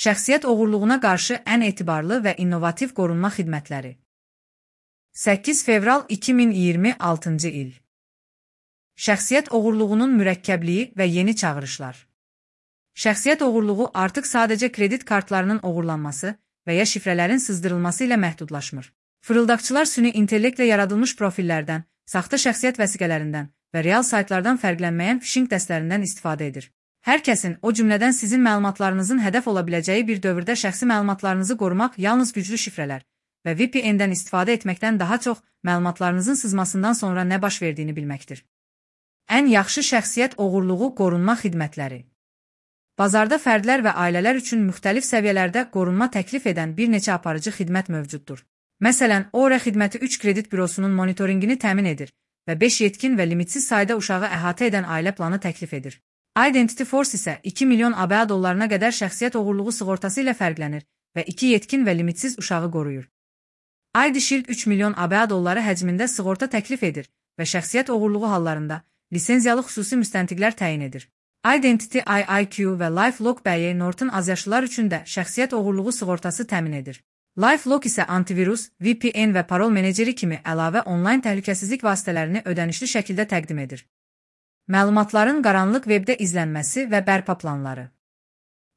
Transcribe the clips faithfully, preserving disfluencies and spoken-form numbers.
Şəxsiyyət oğurluğuna qarşı ən etibarlı və innovativ qorunma xidmətləri. səkkiz fevral iki min iyirmi altıncı il. Şəxsiyyət oğurluğunun mürəkkəbliyi və yeni çağırışlar. Şəxsiyyət oğurluğu artıq sadəcə kredit kartlarının oğurlanması və ya şifrələrin sızdırılması ilə məhdudlaşmır. Fırıldaqçılar süni intellektlə yaradılmış profillərdən, saxta şəxsiyyət vəsiqələrindən və real saytlardan fərqlənməyən phishing dəstlərindən istifadə edir. Hər kəsin, o cümlədən sizin məlumatlarınızın hədəf ola biləcəyi bir dövrdə şəxsi məlumatlarınızı qorumaq yalnız güclü şifrələr və V P N-dən istifadə etməkdən daha çox məlumatlarınızın sızmasından sonra nə baş verdiyini bilməkdir. Ən yaxşı şəxsiyyət oğurluğu qorunma xidmətləri. Bazarda fərdlər və ailələr üçün müxtəlif səviyyələrdə qorunma təklif edən bir neçə aparıcı xidmət mövcuddur. Məsələn, Aura xidməti üç kredit bürosunun monitorinqini təmin edir və beş yetkin və limitsiz sayda uşağı əhatə edən ailə planı təklif edir. Identity Force isə iki milyon A B A dollarına qədər şəxsiyyət oğurluğu sığortası ilə fərqlənir və iki yetkin və limitsiz uşağı qoruyur. I D Shield üç milyon A B A dolları həcmində sığorta təklif edir və şəxsiyyət oğurluğu hallarında lisenziyalı xüsusi müstəntiqlər təyin edir. Identity I I Q və LifeLock B Y Norton azyaşlılar üçün də şəxsiyyət oğurluğu sığortası təmin edir. LifeLock isə antivirus, V P N və parol meneceri kimi əlavə onlayn təhlükəsizlik vasitələrini ödənişli şəkildə təqdim edir. Məlumatların qaranlıq webdə izlənməsi və bərpa planları.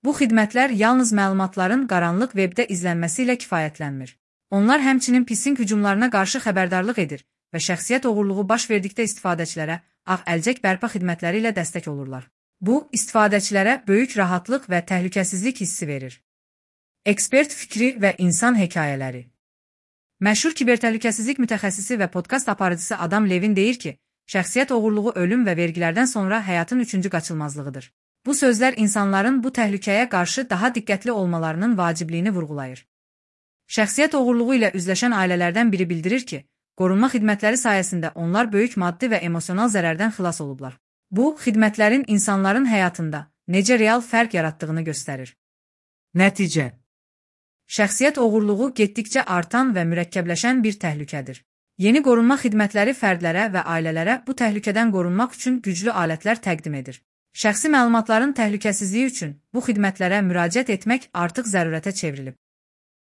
Bu xidmətlər yalnız məlumatların qaranlıq webdə izlənməsi ilə kifayətlənmir. Onlar həmçinin phishing hücumlarına qarşı xəbərdarlıq edir və şəxsiyyət oğurluğu baş verdikdə istifadəçilərə ağ əlcək bərpa xidmətləri ilə dəstək olurlar. Bu, istifadəçilərə böyük rahatlıq və təhlükəsizlik hissi verir. Ekspert fikri və insan hekayələri. Məşhur kibertəhlükəsizlik mütəxəssisi və podkast aparıcısı Adam Levin deyir ki, şəxsiyyət oğurluğu ölüm və vergilərdən sonra həyatın üçüncü qaçılmazlığıdır. Bu sözlər insanların bu təhlükəyə qarşı daha diqqətli olmalarının vacibliyini vurğulayır. Şəxsiyyət oğurluğu ilə üzləşən ailələrdən biri bildirir ki, qorunma xidmətləri sayəsində onlar böyük maddi və emosional zərərdən xilas olublar. Bu, xidmətlərin insanların həyatında necə real fərq yaratdığını göstərir. Nəticə. Şəxsiyyət oğurluğu getdikcə artan və mürəkkəbləşən bir təhlükədir. Yeni qorunma xidmətləri fərdlərə və ailələrə bu təhlükədən qorunmaq üçün güclü alətlər təqdim edir. Şəxsi məlumatların təhlükəsizliyi üçün bu xidmətlərə müraciət etmək artıq zərurətə çevrilib.